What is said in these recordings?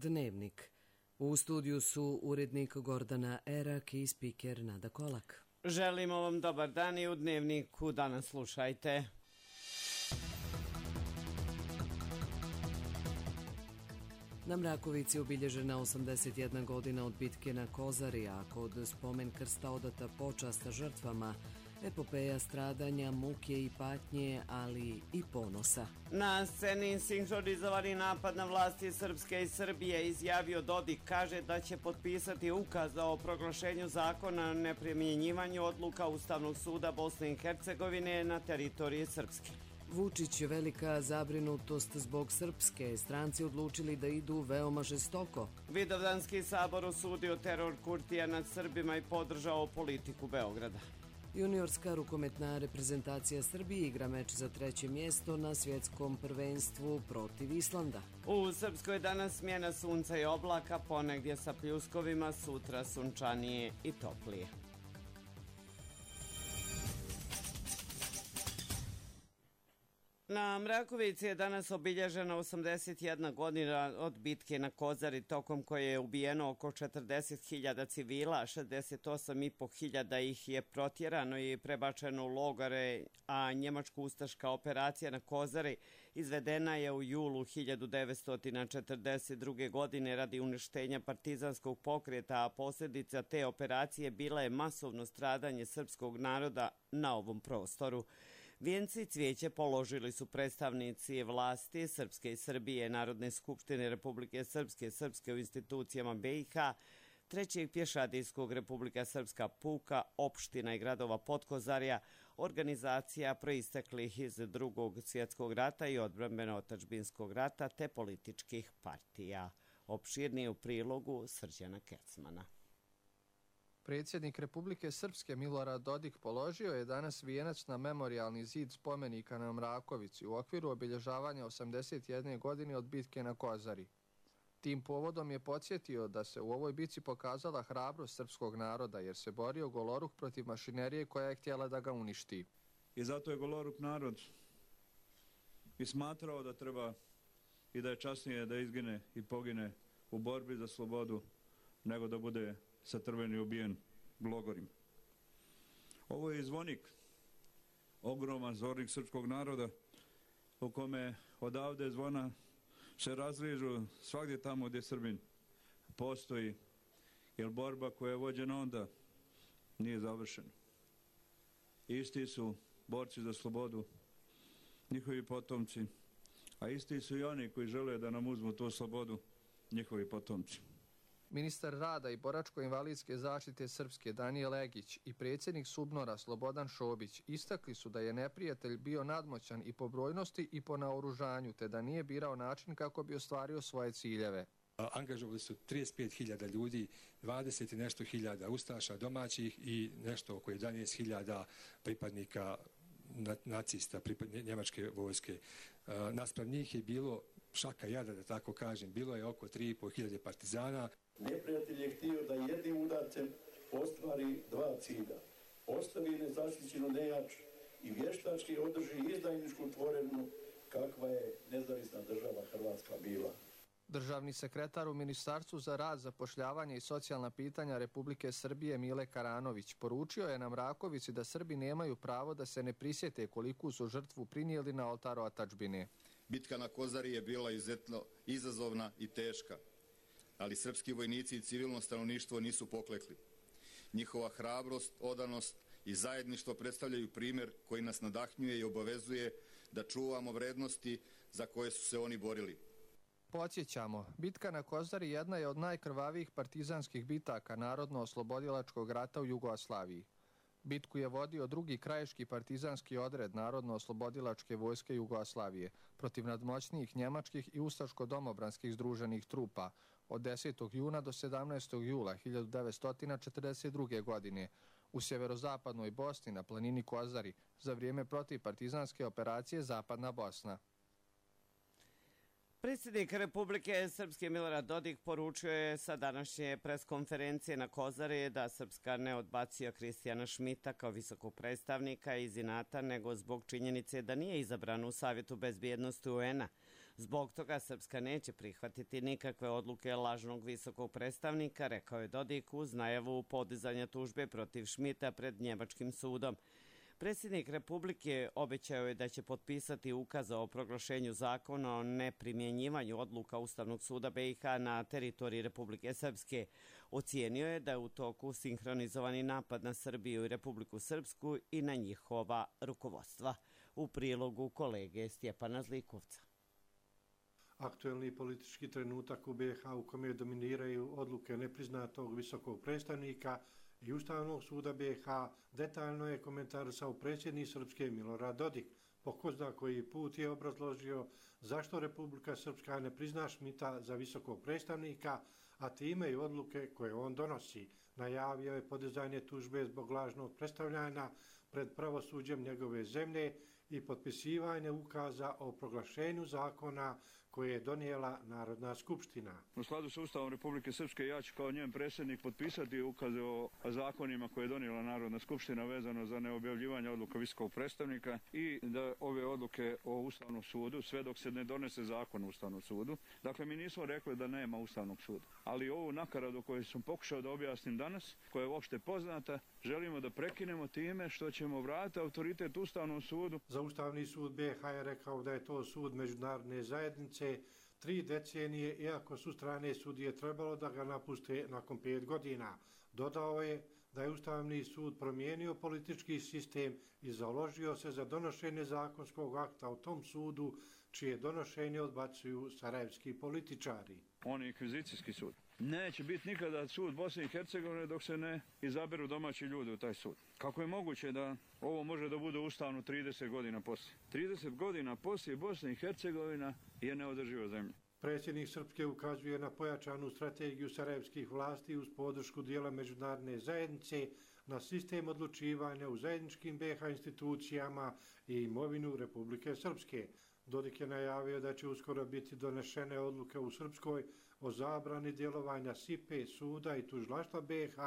Dnevnik. U studiju su urednik Gordana Erak i spiker Nada Kolak. Želimo vam dobar dan i u Dnevniku danas slušajte. Na Mrakovici obilježena 81 godina od bitke na Kozari, a kod spomen krsta odata počast žrtvama, epopeja stradanja, muke i patnje, ali i ponosa. Na sceni sinhronizovani napad na vlasti Srpske i Srbije izjavio Dodik, kaže da će potpisati ukaz o proglašenju zakona o neprimjenjivanju odluka Ustavnog suda Bosne i Hercegovine na teritoriji Srpske. Vučić, velika zabrinutost zbog Srpske, stranci odlučili da idu veoma žestoko. Vidovdanski sabor osudio teror Kurtija nad Srbima i podržao politiku Beograda. Juniorska rukometna reprezentacija Srbije igra meč za 3. mjesto na svjetskom prvenstvu protiv Islanda. U Srpskoj danas smjena sunca i oblaka, ponegdje sa pljuskovima, sutra sunčanije i toplije. Na Mrakovici je danas obilježena 81 godina od bitke na Kozari, tokom koje je ubijeno oko 40.000 civila, 68.500 ih je protjerano i prebačeno u logore, a njemačko-ustaška operacija na Kozari izvedena je u julu 1942. godine radi uništenja partizanskog pokreta, a posljedica te operacije bila je masovno stradanje srpskog naroda na ovom prostoru. Vijenci i cvijeće položili su predstavnici vlasti Srpske i Srbije, Narodne skupštine Republike Srpske, Srpske u institucijama BiH, Trećeg pješadijskog Republika Srpska puka, opština i gradova Podkozarja, organizacija proisteklih iz Drugog svjetskog rata i odbrambeno-otadžbinskog rata te političkih partija. Opširnije u prilogu Srđana Kecmana. Predsjednik Republike Srpske Milorad Dodik položio je danas vijenac na memorijalni zid spomenika na Mrakovici u okviru obilježavanja 81 godine od bitke na Kozari. Tim povodom je podsjetio da se u ovoj bitci pokazala hrabrost srpskog naroda jer se borio goloruk protiv mašinerije koja je htjela da ga uništi. I zato je goloruk narod i smatrao da treba i da je časnije da izgine i pogine u borbi za slobodu nego da bude satrven i ubijen logorim. Ovo je zvonik, ogroman zvornik srpskog naroda u kome odavde zvona se razližu svagdje tamo gdje Srbin postoji, jer borba koja je vođena onda nije završena. Isti su borci za slobodu, njihovi potomci, a isti su i oni koji žele da nam uzmu tu slobodu, njihovi potomci. Ministar rada i boračko-invalidske zaštite Srpske Danijel Egić i predsjednik Subnora Slobodan Šobić istakli su da je neprijatelj bio nadmoćan i po brojnosti i po naoružanju, te da nije birao način kako bi ostvario svoje ciljeve. Angažovali su 35.000 ljudi, 20 i nešto hiljada ustaša domaćih i nešto oko 11.000 pripadnika nacista, njemačke vojske. Naspram njih je bilo šaka jada, da tako kažem, bilo je oko 3.500 partizana. Neprijatelj je htio da jednim udarcem ostvari dva cilja. Ostavi nezaštićenu nejač i vještački održi izdajničku tvorevinu kakva je nezavisna država Hrvatska bila. Državni sekretar u Ministarstvu za rad, zapošljavanje i socijalna pitanja Republike Srbije Mile Karanović poručio je na Mrakovici da Srbi nemaju pravo da se ne prisjete koliku su žrtvu prinijeli na oltaru otadžbine. Bitka na Kozari je bila izuzetno izazovna i teška, ali srpski vojnici i civilno stanovništvo nisu poklekli. Njihova hrabrost, odanost i zajedništvo predstavljaju primjer koji nas nadahnjuje i obavezuje da čuvamo vrednosti za koje su se oni borili. Podsjećamo, bitka na Kozari jedna je od najkrvavijih partizanskih bitaka Narodno-oslobodilačkog rata u Jugoslaviji. Bitku je vodio drugi krajiški partizanski odred Narodno-oslobodilačke vojske Jugoslavije protiv nadmoćnijih njemačkih i ustaško-domobranskih združenih trupa od 10. juna do 17. jula 1942. godine u sjeverozapadnoj Bosni na planini Kozari za vrijeme protivpartizanske operacije Zapadna Bosna. Predsjednik Republike Srpske Milorad Dodik poručio je sa današnje preskonferencije na Kozari da Srpska ne odbacio Kristijana Šmita kao visokog predstavnika iz inata, nego zbog činjenice da nije izabran u Savjetu bezbjednosti UN-a. Zbog toga Srpska neće prihvatiti nikakve odluke lažnog visokog predstavnika, rekao je Dodik uz najavu podizanja tužbe protiv Šmita pred njemačkim sudom. Predsjednik Republike obećao je da će potpisati ukaz o proglašenju zakona o neprimjenjivanju odluka Ustavnog suda BiH na teritoriji Republike Srpske. Ocijenio je da je u toku sinhronizovani napad na Srbiju i Republiku Srpsku i na njihova rukovodstva. U prilogu kolege Stjepana Zlikovca. Aktuelni politički trenutak u BiH u kome dominiraju odluke nepriznatog visokog predstavnika i Ustavnog suda BiH detaljno je komentarisao predsjednik Srpske Milorad Dodik. Po ko zna koji put je obrazložio zašto Republika Srpska ne prizna Šmita za visokog predstavnika, a time i odluke koje on donosi. Najavio je podizanje tužbe zbog lažnog predstavljanja pred pravosuđem njegove zemlje i potpisivanje ukaza o proglašenju zakona koje je donijela Narodna skupština. U skladu s Ustavom Republike Srpske ja ću kao njen predsjednik potpisati ukaze o zakonima koje je donijela Narodna skupština vezano za neobjavljivanje odluka visokog predstavnika i da ove odluke o Ustavnom sudu, sve dok se ne donese zakon o Ustavnom sudu. Dakle, mi nismo rekli da nema Ustavnog suda, ali ovu nakaradu koju sam pokušao da objasnim danas, koja je uopšte poznata, želimo da prekinemo time što ćemo vratiti autoritet Ustavnom sudu. Za Ustavni sud BiH je rekao da je to sud međunarodne zajednice 3 decenije, iako su strane sudije trebalo da ga napuste nakon 5 godina. Dodao je da je Ustavni sud promijenio politički sistem i založio se za donošenje zakonskog akta u tom sudu, čije donošenje odbacuju sarajevski političari. On je inkvizicijski sud. Neće biti nikada sud Bosne i Hercegovine dok se ne izaberu domaći ljudi u taj sud. Kako je moguće da ovo može da bude ustavno 30 godina poslije? 30 godina poslije Bosna i Hercegovina je neodrživa zemlja. Predsjednik Srpske ukazuje na pojačanu strategiju sarajevskih vlasti uz podršku dijela međunarodne zajednice na sistem odlučivanja u zajedničkim BiH institucijama i imovinu Republike Srpske. Dodik je najavio da će uskoro biti donešene odluke u Srpskoj o zabrani djelovanja SIPE, suda i tužilaštva BiH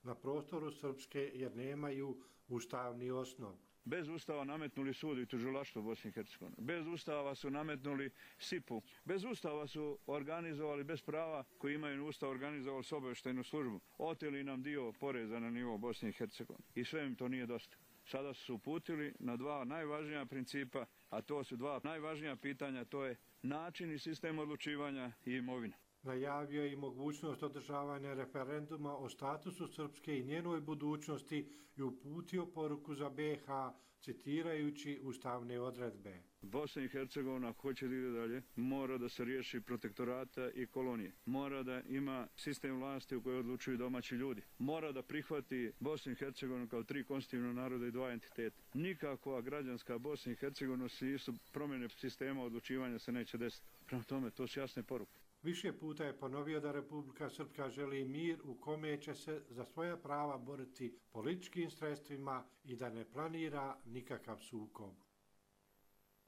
na prostoru Srpske jer nemaju ustavni osnov. Bez Ustava nametnuli sud i tužilaštvo Bosne i Hercegovine. Bez Ustava su nametnuli SIP-u. Bez Ustava su organizovali, bez prava koji imaju Ustav, organizovali s obavještajnu službu. Oteli nam dio poreza na nivo Bosne i Hercegovine. I sve im to nije dosta. Sada su se uputili na 2 najvažnija principa, a to su 2 najvažnija pitanja, to je način i sistem odlučivanja i imovina. Najavio je i mogućnost održavanja referenduma o statusu Srpske i njenoj budućnosti i uputio poruku za BiH, citirajući ustavne odredbe. Bosna i Hercegovina hoće da ide dalje, mora da se riješi protektorata i kolonije. Mora da ima sistem vlasti u kojoj odlučuju domaći ljudi. Mora da prihvati Bosnu i Hercegovinu kao 3 konstitutivna naroda i 2 entiteta. Nikakva građanska Bosna i Hercegovina su promjene sistema odlučivanja se neće desiti. Prema tome, to su jasne poruke. Više puta je ponovio da Republika Srpska želi mir u kome će se za svoja prava boriti političkim sredstvima i da ne planira nikakav sukob.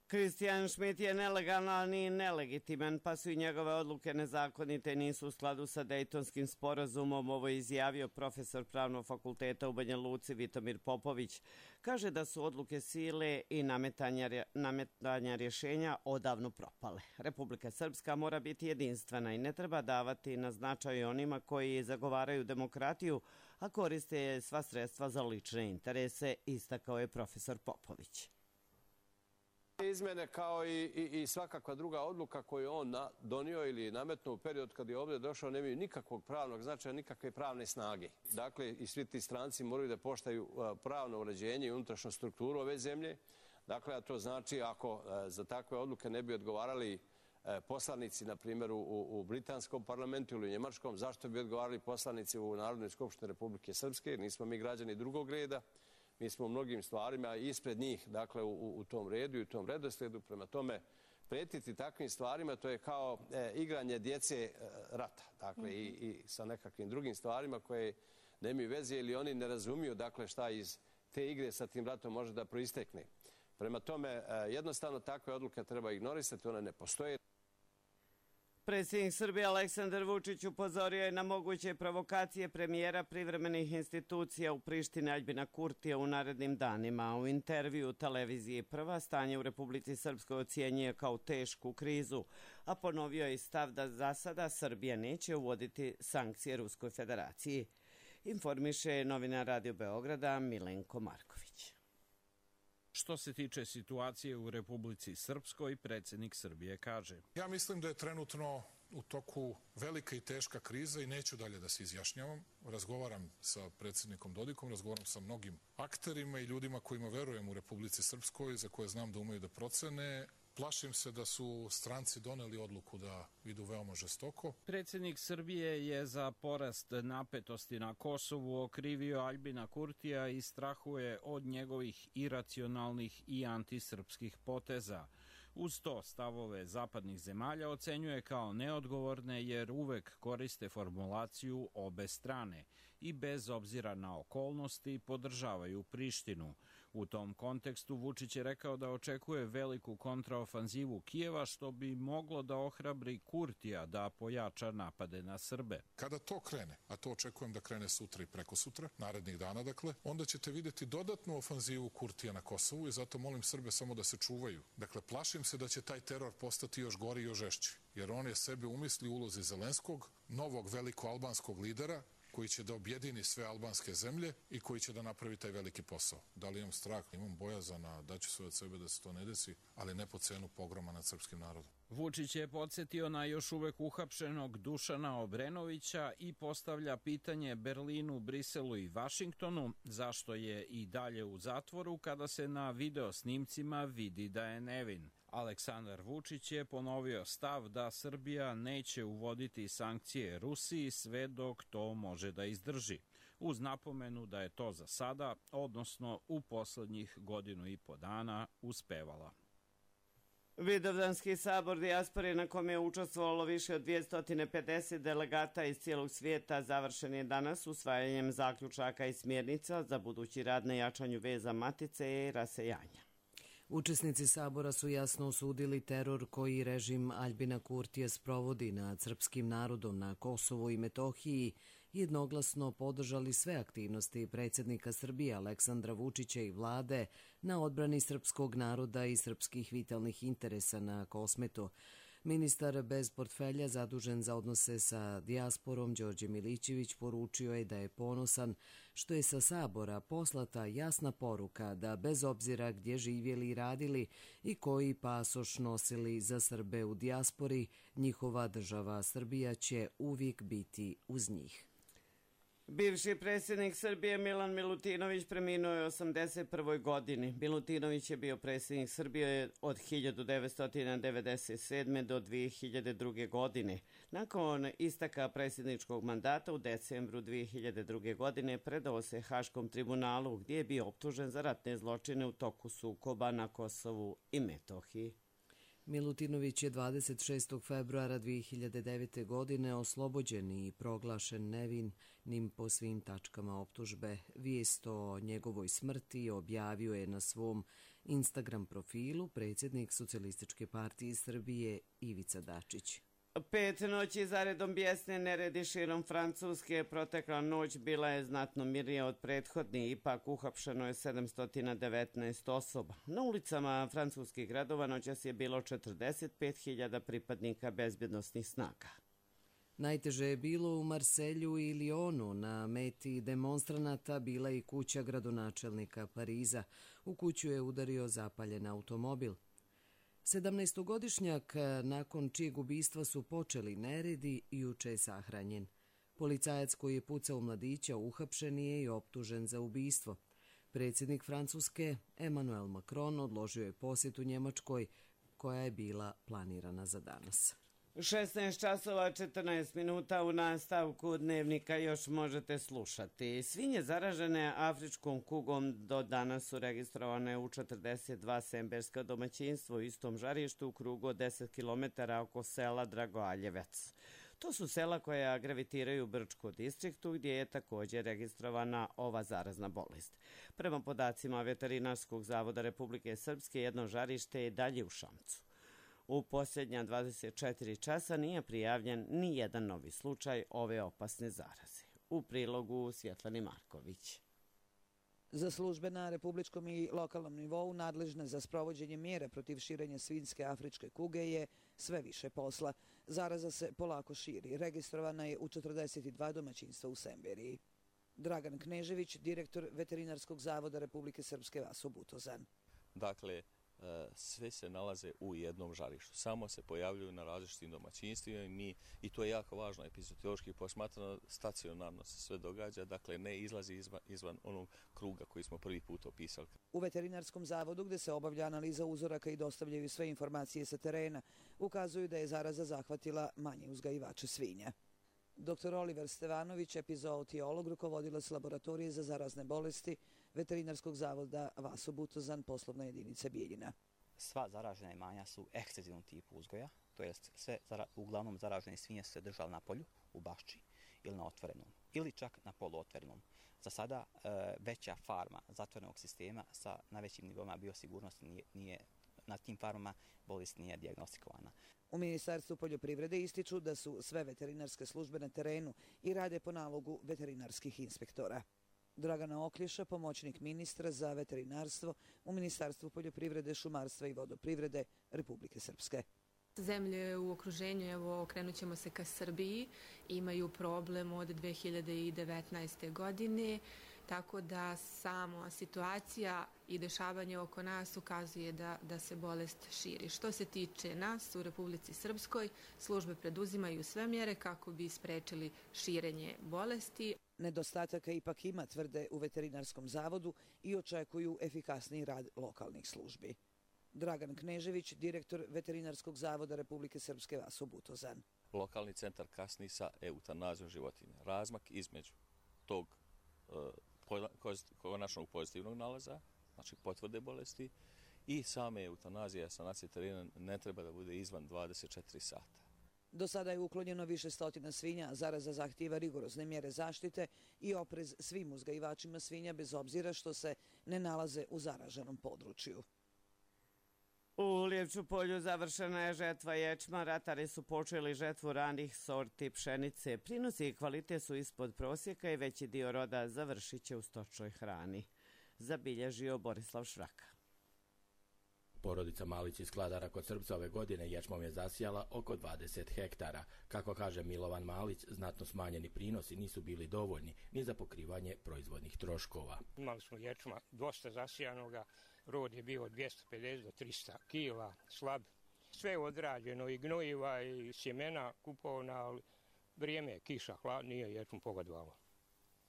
Kristijan Šmit je nelegalan i nelegitiman, pa su i njegove odluke nezakonite i nisu u skladu sa Dejtonskim sporazumom. Ovo je izjavio profesor Pravnog fakulteta u Banja Luci Vitomir Popović. Kaže da su odluke sile i nametanja rješenja odavno propale. Republika Srpska mora biti jedinstvena i ne treba davati na značaj onima koji zagovaraju demokratiju, a koriste sva sredstva za lične interese, istakao je profesor Popović. Izmene kao i svakakva druga odluka koju on donio ili nametnuo u period kad je ovdje došao nemaju nikakvog pravnog značaja, nikakve pravne snage. Dakle, i svi ti stranci moraju da poštaju pravno uređenje i unutrašnju strukturu ove zemlje. Dakle, a to znači ako za takve odluke ne bi odgovarali poslanici, na primjer, u britanskom parlamentu ili u njemačkom, zašto bi odgovarali poslanici u Narodnoj skupštini Republike Srpske? Nismo mi građani drugog reda. Mi smo u mnogim stvarima ispred njih, dakle, u tom redu i u tom redoslijedu. Prema tome, pretiti takvim stvarima, to je kao igranje djece rata. Dakle, i sa nekakvim drugim stvarima koje nemaju veze ili oni ne razumiju, dakle, šta iz te igre sa tim ratom može da proistekne. Prema tome, jednostavno takve odluke treba ignorisati, one ne postoje. Predsjednik Srbije Aleksandar Vučić upozorio je na moguće provokacije premijera privremenih institucija u Prištini Aljbina Kurtija u narednim danima. U intervju televiziji Prva stanje u Republici Srpskoj ocjenjuje kao tešku krizu, a ponovio je stav da za sada Srbija neće uvoditi sankcije Ruskoj federaciji. Informiše novinar Radio Beograda Milenko Marković. Što se tiče situacije u Republici Srpskoj, predsjednik Srbije kaže: Ja mislim da je trenutno u toku velika i teška kriza i neću dalje da se izjašnjavam. Razgovaram sa predsjednikom Dodikom, razgovaram sa mnogim akterima i ljudima kojima verujem u Republici Srpskoj, za koje znam da umeju da procene. Plašim se da su stranci doneli odluku da idu veoma žestoko. Predsjednik Srbije je za porast napetosti na Kosovu okrivio Aljbina Kurtija i strahuje od njegovih iracionalnih i antisrpskih poteza. Uz to stavove zapadnih zemalja ocenjuje kao neodgovorne jer uvek koriste formulaciju obe strane i bez obzira na okolnosti podržavaju Prištinu. U tom kontekstu Vučić je rekao da očekuje veliku kontraofanzivu Kijeva što bi moglo da ohrabri Kurtija da pojača napade na Srbe. Kada to krene, a to očekujem da krene sutra i prekosutra, narednih dana dakle, onda ćete vidjeti dodatnu ofanzivu Kurtija na Kosovu i zato molim Srbe samo da se čuvaju. Dakle, plašim se da će taj teror postati još gori i još žešći, jer on je sebe umisli u ulozi Zelenskog, novog veliko-albanskog lidera, koji će da objedini sve albanske zemlje i koji će da napravi taj veliki posao. Da li imam strah, imam bojazana, daću sve od sebe da se to ne desi, ali ne po cenu pogroma nad srpskim narodom. Vučić je podsjetio na još uvek uhapšenog Dušana Obrenovića i postavlja pitanje Berlinu, Briselu i Vašingtonu zašto je i dalje u zatvoru kada se na video snimcima vidi da je nevin. Aleksandar Vučić je ponovio stav da Srbija neće uvoditi sankcije Rusiji sve dok to može da izdrži, uz napomenu da je to za sada, odnosno u poslednjih 1,5 dana, uspevala. Vidovdanski sabor dijaspore na kome je učestvovalo više od 250 delegata iz cijelog svijeta završen je danas usvajanjem zaključaka i smjernica za budući rad na jačanju veza matice i rasejanja. Učesnici sabora su jasno osudili teror koji režim Aljbina Kurtija sprovodi nad srpskim narodom na Kosovu i Metohiji i jednoglasno podržali sve aktivnosti predsjednika Srbije Aleksandra Vučića i vlade na odbrani srpskog naroda i srpskih vitalnih interesa na Kosmetu. Ministar bez portfelja zadužen za odnose sa dijasporom Đorđe Milićević poručio je da je ponosan što je sa sabora poslata jasna poruka da bez obzira gdje živjeli i radili i koji pasoš nosili za Srbe u dijaspori, njihova država Srbija će uvijek biti uz njih. Bivši predsjednik Srbije Milan Milutinović preminuo je u 81. godini. Milutinović je bio predsjednik Srbije od 1997. do 2002. godine. Nakon istaka predsjedničkog mandata u decembru 2002. godine predao se Haškom tribunalu gdje je bio optužen za ratne zločine u toku sukoba na Kosovu i Metohiji. Milutinović je 26. februara 2009. godine oslobođen i proglašen nevinim po svim tačkama optužbe. Vijest o njegovoj smrti objavio je na svom Instagram profilu predsjednik Socijalističke partije Srbije Ivica Dačić. 5 noći zaredom bijesne neredi širom Francuske. Protekla noć bila je znatno mirnija od prethodnih, ipak uhapšeno je 719 osoba. Na ulicama francuskih gradova noćas je bilo 45.000 pripadnika bezbjednosnih snaga. Najteže je bilo u Marselju i Lionu. Na meti demonstranata bila i kuća gradonačelnika Pariza. U kuću je udario zapaljen automobil. 17-godišnjak nakon čijeg ubistva su počeli neredi juče je sahranjen. Policajac koji je pucao u mladića uhapšen je i optužen za ubistvo. Predsjednik Francuske Emmanuel Macron odložio je posjetu Njemačkoj koja je bila planirana za danas. 16 časova 14 minuta u nastavku dnevnika još možete slušati. Svinje zaražene afričkom kugom do danas su registrovane u 42 semberska domaćinstva u istom žarištu u krugu od 10 km oko sela Dragoaljevac. To su sela koja gravitiraju u Brčkom distriktu gdje je također registrovana ova zarazna bolest. Prema podacima Veterinarskog zavoda Republike Srpske jedno žarište je dalje u Šamcu. U posljednja 24 časa nije prijavljen ni jedan novi slučaj ove opasne zaraze. U prilogu Svjetlani Marković. Za službe na republičkom i lokalnom nivou nadležne za sprovođenje mjera protiv širenja svinjske afričke kuge je sve više posla. Zaraza se polako širi. Registrovana je u 42 domaćinstva u Semberiji. Dragan Knežević, direktor Veterinarskog zavoda Republike Srpske Vaso Butozan. Dakle, sve se nalaze u jednom žarištu. Samo se pojavljuju na različitim domaćinstvima i to je jako važno epizodiološki posmatrano, stacionarno se sve događa, dakle ne izlazi izvan onog kruga koji smo prvi put opisali. U Veterinarskom zavodu, gde se obavlja analiza uzoraka i dostavljaju sve informacije sa terena, ukazuju da je zaraza zahvatila manje uzgajivače svinja. Dr. Oliver Stevanović, epizootiolog, rukovodilac laboratorije za zarazne bolesti Veterinarskog zavoda Vaso Butozan, poslovna jedinica Bijeljina. Sva zaražena imanja su ekstenzivnom tipu uzgoja, to jest sve uglavnom zaražene svinje su se držale na polju, u bašči ili na otvorenom, ili čak na poluotvorenom. Za sada veća farma zatvorenog sistema sa najvećim nivoima biosigurnosti na tim farmama bolest nije dijagnostikovana. U Ministarstvu poljoprivrede ističu da su sve veterinarske službe na terenu i rade po nalogu veterinarskih inspektora. Dragana Oklješa, pomoćnik ministra za veterinarstvo u Ministarstvu poljoprivrede, šumarstva i vodoprivrede Republike Srpske. Zemlje u okruženju, evo okrenut ćemo se ka Srbiji, imaju problem od 2019. godine, tako da sama situacija i dešavanje oko nas ukazuje da se bolest širi. Što se tiče nas u Republici Srpskoj, službe preduzimaju sve mjere kako bi sprečili širenje bolesti. Nedostataka ipak ima, tvrde u Veterinarskom zavodu i očekuju efikasniji rad lokalnih službi. Dragan Knežević, direktor Veterinarskog zavoda Republike Srpske Vaso Butozan. Lokalni centar kasni sa eutanazijom životinja. Razmak između tog konačnog pozitivnog nalaza, znači potvrde bolesti, i same eutanazije sanacije terena ne treba da bude izvan 24 sata. Do sada je uklonjeno više stotina svinja, a zaraza zahtijeva rigorozne mjere zaštite i oprez svim uzgajivačima svinja bez obzira što se ne nalaze u zaraženom području. U Lijevču polju završena je žetva ječma, ratari su počeli žetvu ranih sorti pšenice. Prinosi i kvalitet su ispod prosjeka i veći dio roda završit će u stočnoj hrani, zabilježio Borislav Švraka. Porodica Malić iz Kladara kod Srpca ove godine ječmom je zasijala oko 20 hektara. Kako kaže Milovan Malić, znatno smanjeni prinosi nisu bili dovoljni ni za pokrivanje proizvodnih troškova. Imali smo ječma dosta zasijanoga, rod je bio 250 do 300 kila, slab. Sve je odrađeno, i gnojiva i sjemena kupovna, ali vrijeme je kiša, hlad, nije ječmu pogodovalo.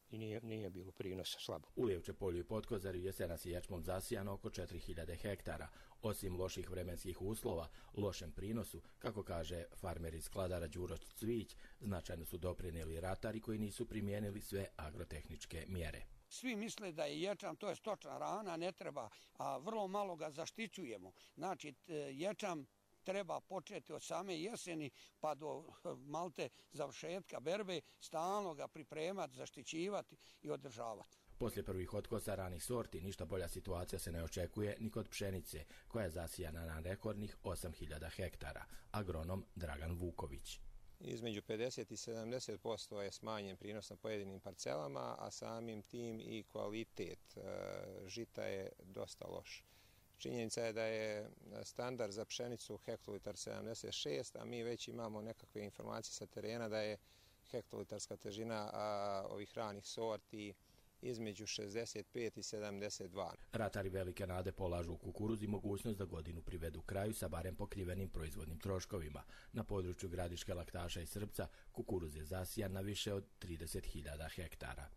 I nije bilo prinosa, slabo. U Lijevče polju i Potkozarju jesenas je ječmom zasijano oko 4000 hektara. Osim loših vremenskih uslova, lošem prinosu, kako kaže farmer iz Kladara Đuro Cvić, značajno su doprinijeli ratari koji nisu primijenili sve agrotehničke mjere. Svi misle da je ječam, to je stočna hrana, ne treba, a vrlo malo ga zaštićujemo. Znači, ječam treba početi od same jeseni pa do malte završetka berbe, stalno ga pripremati, zaštićivati i održavati. Poslije prvih otkosa ranih sorti ništa bolja situacija se ne očekuje ni kod pšenice, koja je zasijana na rekordnih 8000 hektara. Agronom Dragan Vuković. Između 50 i 70% je smanjen prinos na pojedinim parcelama, a samim tim i kvalitet žita je dosta loš. Činjenica je da je standard za pšenicu hektolitar 76, a mi već imamo nekakve informacije sa terena da je hektolitarska težina ovih ranih sorti između 65 i 72. Ratari velike nade polažu u kukuruz i mogućnost da godinu privedu kraju sa barem pokrivenim proizvodnim troškovima. Na području Gradiške, Laktaša i Srpca kukuruz je zasijan na više od 30.000 hektara.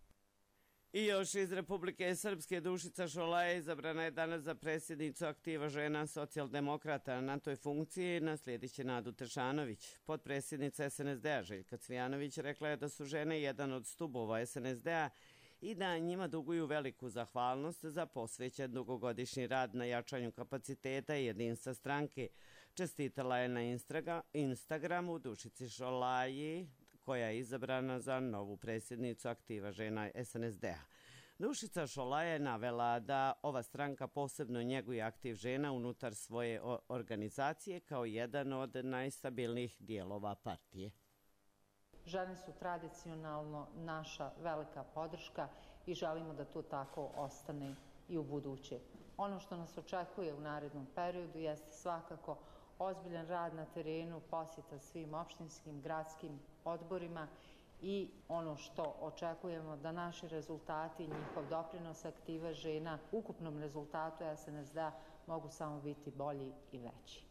I još iz Republike Srpske Dušica Šolaje izabrana je danas za predsjednicu Aktiva žena socijaldemokrata. Na toj funkciji naslijedit će Nadu Tešanović. Potpredsjednica SNSD-a Željka Cvijanović rekla je da su žene jedan od stubova SNSD-a i da njima duguju veliku zahvalnost za posvećen dugogodišnji rad na jačanju kapaciteta i jedinstva stranke. Čestitala je na Instagramu Dušici Šolaji, koja je izabrana za novu predsjednicu Aktiva žena SNSD-a. Dušica Šolaja je navela da ova stranka posebno njeguje aktiv žena unutar svoje organizacije kao jedan od najstabilnijih dijelova partije. Žene su tradicionalno naša velika podrška i želimo da to tako ostane i u buduće. Ono što nas očekuje u narednom periodu jeste svakako ozbiljan rad na terenu, posjeta svim opštinskim, gradskim odborima i ono što očekujemo da naši rezultati, njihov doprinos aktiva žena, ukupnom rezultatu SNSD mogu samo biti bolji i veći.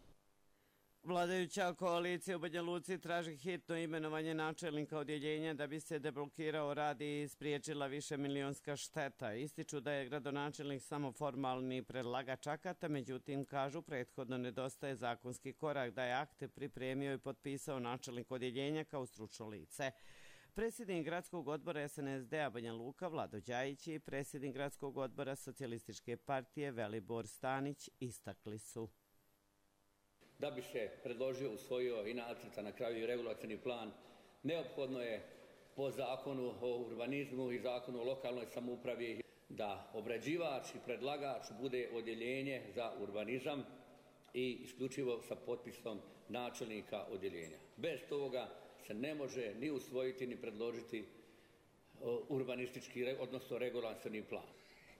Vladajuća koalicija u Banja Luci traži hitno imenovanje načelnika odjeljenja da bi se deblokirao rad i spriječila višemilionska šteta. Ističu da je gradonačelnik samo formalni predlagač akata, međutim, kažu, prethodno nedostaje zakonski korak da je akte pripremio i potpisao načelnik odjeljenja kao stručno lice. Predsjednik gradskog odbora SNSD-a Banja Luka Vlado Đajić i predsjednik gradskog odbora Socijalističke partije Velibor Stanić istakli su. Da bi se predložio, usvojio i nacrta na kraju i regulacioni plan, neophodno je po zakonu o urbanizmu i zakonu o lokalnoj samoupravi da obrađivač i predlagač bude odjeljenje za urbanizam i isključivo sa potpisom načelnika odjeljenja. Bez toga se ne može ni usvojiti ni predložiti urbanistički, odnosno regulacioni plan.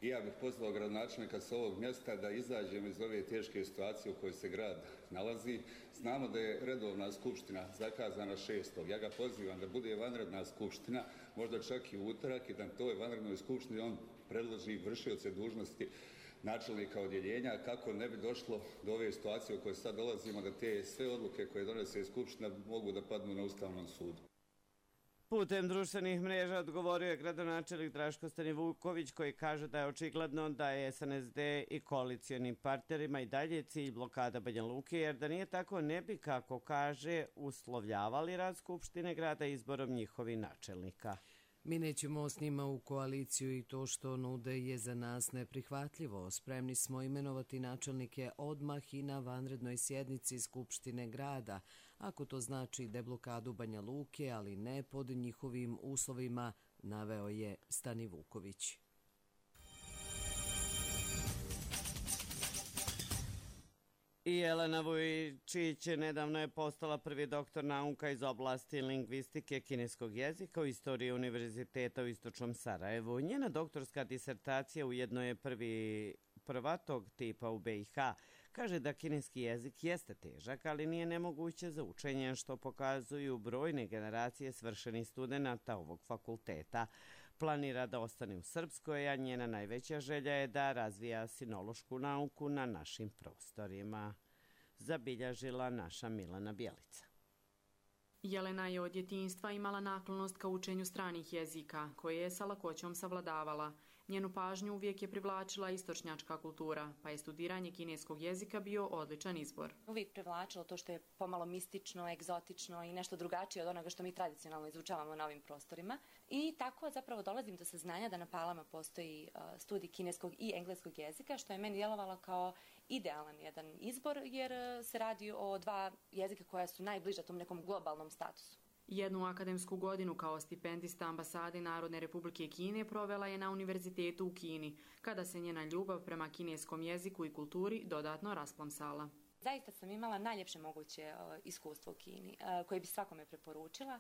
I ja bih pozvao gradonačelnika sa ovog mjesta da izađemo iz ove teške situacije u kojoj se grad nalazi. Znamo da je redovna skupština zakazana 6. Ja ga pozivam da bude vanredna skupština, možda čak i utorak, i da toj vanrednoj skupštini on predloži vršioce dužnosti načelnika odjeljenja, kako ne bi došlo do ove situacije u kojoj sad dolazimo, da te sve odluke koje donese skupština mogu da padnu na Ustavnom sudu. Putem društvenih mreža odgovorio je gradonačelnik Draško Stanivuković, koji kaže da je očigledno da je SNSD i koalicionim partnerima i dalje cilj blokada Banja Luke, jer da nije tako ne bi, kako kaže, uslovljavali rad Skupštine grada izborom njihovih načelnika. Mi nećemo s njima u koaliciju i to što nude je za nas neprihvatljivo. Spremni smo imenovati načelnike odmah i na vanrednoj sjednici Skupštine grada, ako to znači deblokadu Banja Luke, ali ne pod njihovim uslovima, naveo je Stanivuković. I Jelena Vujčić nedavno je postala prvi doktor nauka iz oblasti lingvistike kineskog jezika u istoriji Univerziteta u Istočnom Sarajevu. Njena doktorska disertacija ujedno je prva tog tipa u BiH. Kaže da kineski jezik jeste težak, ali nije nemoguće za učenje, što pokazuju brojne generacije svršenih studenata ovog fakulteta. Planira da ostane u Srpskoj, a njena najveća želja je da razvija sinološku nauku na našim prostorima, zabilježila naša Milana Bjelica. Jelena je od djetinjstva imala naklonost ka učenju stranih jezika, koje je sa lakoćom savladavala. Njenu pažnju uvijek je privlačila istočnjačka kultura, pa je studiranje kineskog jezika bio odličan izbor. Uvijek privlačilo to što je pomalo mistično, egzotično i nešto drugačije od onoga što mi tradicionalno izučavamo na ovim prostorima. I tako zapravo dolazim do saznanja da na Palama postoji studij kineskog i engleskog jezika, što je meni djelovalo kao idealan jedan izbor, jer se radi o dva jezika koja su najbliža tom nekom globalnom statusu. Jednu akademsku godinu kao stipendista ambasade Narodne Republike Kine provela je na univerzitetu u Kini, kada se njena ljubav prema kineskom jeziku i kulturi dodatno rasplamsala. Zaista sam imala najljepše moguće iskustvo u Kini, koje bi svakome preporučila.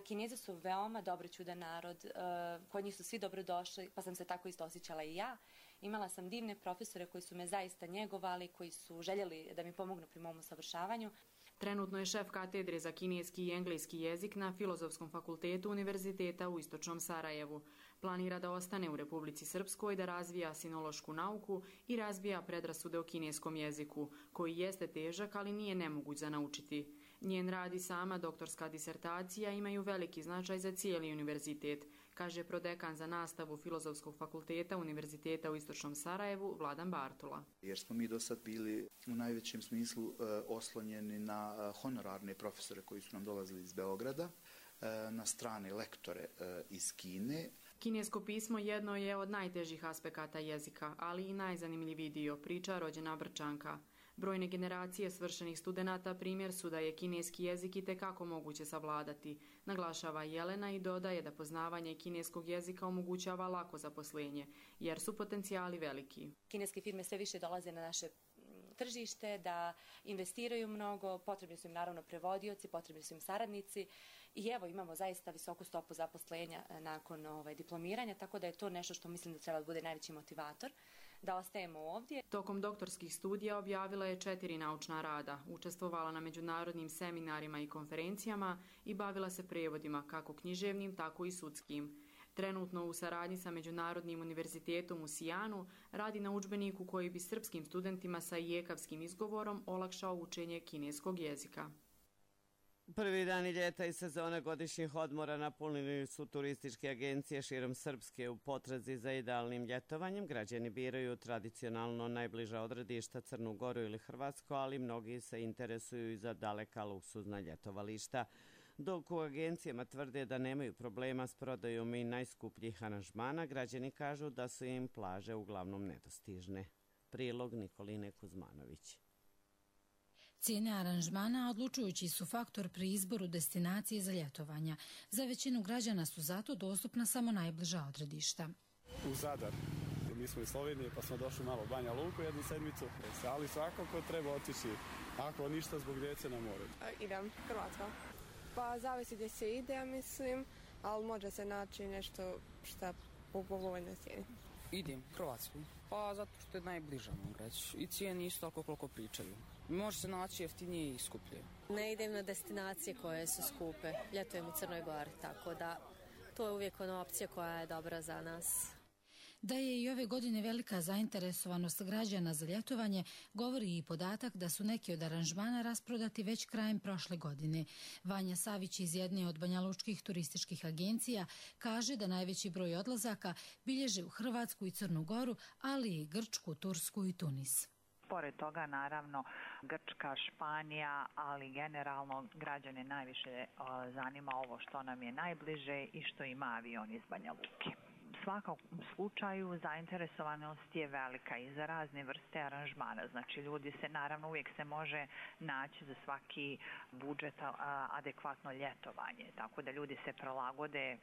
Kinezi su veoma dobroćudan narod, kod njih su svi dobrodošli, pa sam se tako isto osjećala i ja. Imala sam divne profesore koji su me zaista njegovali, koji su željeli da mi pomognu pri mom usavršavanju. Trenutno je šef katedre za kineski i engleski jezik na Filozofskom fakultetu Univerziteta u Istočnom Sarajevu. Planira da ostane u Republici Srpskoj, da razvija sinološku nauku i razvija predrasude o kineskom jeziku, koji jeste težak, ali nije nemoguć za naučiti. Njen rad i sama doktorska disertacija imaju veliki značaj za cijeli univerzitet, kaže prodekan za nastavu Filozofskog fakulteta Univerziteta u Istočnom Sarajevu Vladan Bartula. Jer smo mi do sad bili u najvećem smislu oslonjeni na honorarne profesore koji su nam dolazili iz Beograda, na strane lektore iz Kine. Kinesko pismo jedno je od najtežih aspekata jezika, ali i najzanimljiviji dio, priča rođena Brčanka. Brojne generacije svršenih studenata primjer su da je kineski jezik itekako moguće savladati, naglašava Jelena i dodaje da poznavanje kineskog jezika omogućava lako zaposlenje, jer su potencijali veliki. Kineske firme sve više dolaze na naše tržište, da investiraju mnogo, potrebni su im naravno prevodioci, potrebni su im saradnici i evo imamo zaista visoku stopu zaposlenja nakon diplomiranja, tako da je to nešto što mislim da treba da bude najveći motivator da ostajemo ovdje. Tokom doktorskih studija objavila je 4 naučna rada, učestvovala na međunarodnim seminarima i konferencijama i bavila se prevodima, kako književnim, tako i sudskim. Trenutno u saradnji sa Međunarodnim univerzitetom u Sijanu radi na udžbeniku koji bi srpskim studentima sa ijekavskim izgovorom olakšao učenje kineskog jezika. Prvi dani ljeta i sezone godišnjih odmora napunili su turističke agencije širom Srpske. U potrazi za idealnim ljetovanjem građani biraju tradicionalno najbliža odredišta Crnu Goru ili Hrvatsku, ali mnogi se interesuju i za daleka luksuzna ljetovališta. Dok u agencijama tvrde da nemaju problema s prodajom i najskupljih aranžmana, građani kažu da su im plaže uglavnom nedostižne. Prilog Nikoline Kuzmanović. Cijene aranžmana odlučujući su faktor pri izboru destinacije za ljetovanja. Za većinu građana su zato dostupna samo najbliža odredišta. U Zadar. Mi smo iz Slovenije pa smo došli malo u Banja Luku jednu sedmicu, ali svakako treba otići, ako ništa zbog djece na more. Idem, Hrvatska. Pa zavisi gdje se ide, ja mislim, ali može se naći nešto što u povoljnoj cijeni. Idem, Hrvatsku. Pa zato što je najbliža, mogu reći. I cijeni isto toliko koliko pričaju. Može se naći jeftinije i skuplje. Ne idem na destinacije koje su skupe. Ljetujem u Crnoj Gori, tako da to je uvijek ona opcija koja je dobra za nas. Da je i ove godine velika zainteresovanost građana za ljetovanje, govori i podatak da su neki od aranžmana rasprodati već krajem prošle godine. Vanja Savić iz jedne od banjalučkih turističkih agencija kaže da najveći broj odlazaka bilježe u Hrvatsku i Crnu Goru, ali i Grčku, Tursku i Tunis. Pored toga, naravno, Grčka, Španija, ali generalno građane najviše zanima ovo što nam je najbliže i što ima avion iz Banja Luke. U svakom slučaju zainteresovanost je velika i za razne vrste aranžmana. Znači ljudi se, naravno, uvijek se može naći za svaki budžet adekvatno ljetovanje. Tako da ljudi se prilagode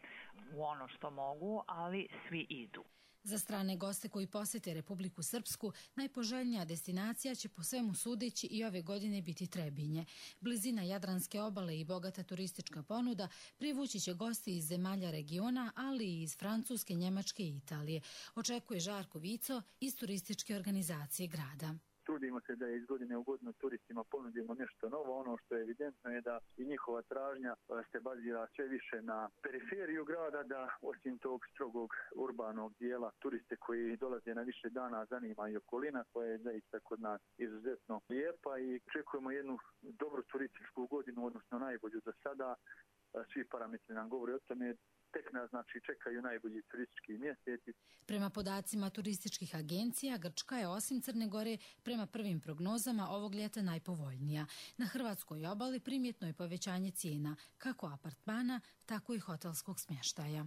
u ono što mogu, ali svi idu. Za strane goste koji posjete Republiku Srpsku, najpoželjnija destinacija će po svemu sudeći i ove godine biti Trebinje. Blizina Jadranske obale i bogata turistička ponuda privući će gosti iz zemalja regiona, ali i iz Francuske, Njemačke i Italije. Očekuje Žarko Vico iz turističke organizacije grada. Trudimo se da iz godine u godinu turistima ponudimo nešto novo. Ono što je evidentno je da i njihova tražnja se bazira sve više na periferiju grada, da osim tog strogog urbanog dijela turiste koji dolaze na više dana zanima i okolina koja je zaista kod nas izuzetno lijepa i očekujemo jednu dobru turističku godinu, odnosno najbolju za sada. Svi parametri nam govore o tome. Tek nas čekaju najbolji turistički mjeseci. Prema podacima turističkih agencija, Grčka je osim Crne Gore prema prvim prognozama ovog ljeta najpovoljnija. Na hrvatskoj obali primjetno je povećanje cijena, kako apartmana, tako i hotelskog smještaja.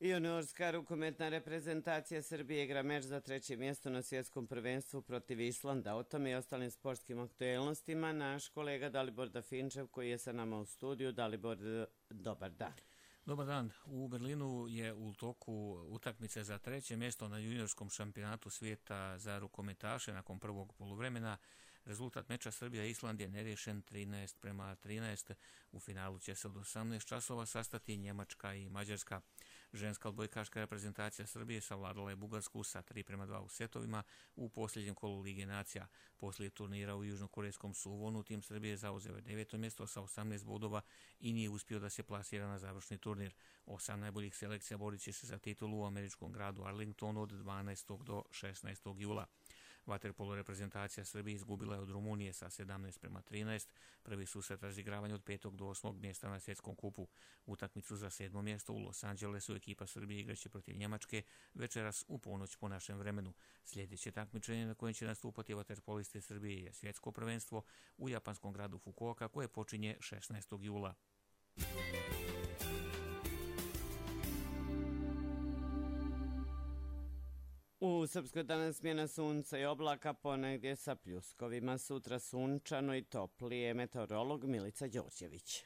Juniorska rukometna reprezentacija Srbije igra meč za 3. mjesto na svjetskom prvenstvu protiv Islanda. O tome i ostalim sportskim aktuelnostima naš kolega Dalibor Dafinčev koji je sa nama u studiju. Dalibor, dobar dan. Dobar dan. U Berlinu je u toku utakmice za 3. mjesto na juniorskom šampionatu svijeta za rukometaše nakon prvog poluvremena. Rezultat meča Srbija-Island je neriješen 13:13. U finalu će se od 18 časova sastati Njemačka i Mađarska. Ženska odbojkaška reprezentacija Srbije savladala je Bugarsku sa 3:2 u setovima u posljednjem kolu Lige nacija. Poslije turnira u južnokorejskom Suvonu tim Srbije zauzeo je 9. mjesto sa 18 bodova i nije uspio da se plasira na završni turnir. 8 najboljih selekcija borit će se za titulu u američkom gradu Arlingtonu od 12. do 16. jula. Vaterpolo reprezentacija Srbije izgubila je od Rumunije sa 17:13. Prvi susret razigravanja od 5. do 8. mjesta na svjetskom kupu. Utakmicu za 7. mjesto u Los Angelesu ekipa Srbije igraće protiv Njemačke večeras u ponoć po našem vremenu. Sljedeće takmičenje na kojem će nastupati vaterpolisti Srbije je svjetsko prvenstvo u japanskom gradu Fukuoka koje počinje 16. jula. U Srpskoj danas smjena sunca i oblaka, ponegdje sa pljuskovima, sutra sunčano i toplije. Meteorolog Milica Đorđević.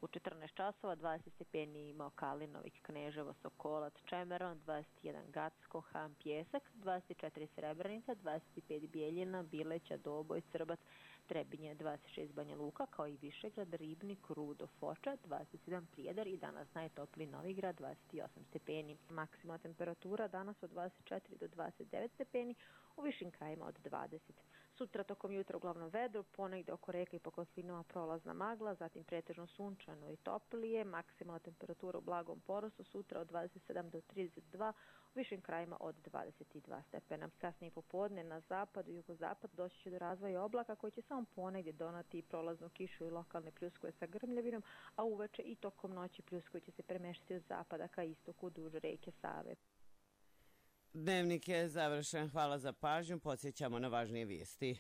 U 14 časova 20 stepeni imao Kalinovik, Kneževo, Sokolac, Čemeron, 21 Gacko, Han, Pjesak, 24 Srebrenica, 25 Bijeljina, Bileća, Doboj, Srbac, Trebinje, 26 Banja Luka, kao i Višegrad, Ribnik, Rudo, Foča, 27 Prijedor i danas najtopliji Novigrad, 28 stepeni. Maksimalna temperatura danas od 24 do 29 stepeni, u višim krajima od 20. Sutra tokom jutra uglavnom vedro, ponegdje oko reka i po kotlinama prolazna magla, zatim pretežno sunčano i toplije, maksimalna temperatura u blagom porastu sutra od 27 do 32, u višim krajima od 22 stepena. Kasnije popodne na zapadu i jugozapad doći će do razvoja oblaka koji će samo ponegdje donati prolaznu kišu i lokalne pljuskove sa grmljavinom, a uveče i tokom noći pljuskovi će se premeštiti od zapada ka istoku duž reke Save. Dnevnik je završen. Hvala za pažnju. Podsjećamo na važnije vijesti.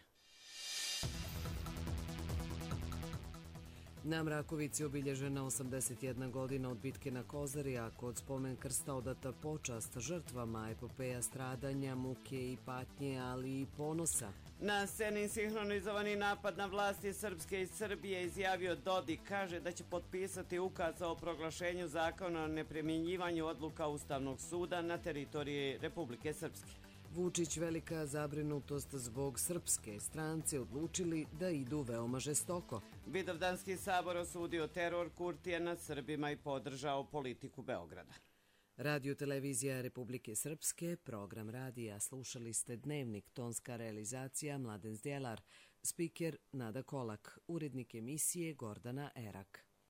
Na Mrakovici obilježena 81 godina od bitke na Kozari, a kod spomen krsta odata počast žrtvama, epopeja stradanja, muke i patnje, ali i ponosa. Na sceni sinhronizovani napad na vlasti Srpske i Srbije izjavio Dodik, kaže da će potpisati ukaz o proglašenju zakona o neprimjenjivanju odluka Ustavnog suda na teritoriji Republike Srpske. Vučić velika zabrinutost zbog srpske strance odlučili da idu veoma žestoko. Vidovdanski sabor osudio teror Kurtija nad Srbima i podržao politiku Beograda. Radio televizija Republike Srpske, program radija, slušali ste Dnevnik, tonska realizacija Mladen Zdjelar, spiker Nada Kolak, urednik emisije Gordana Erak.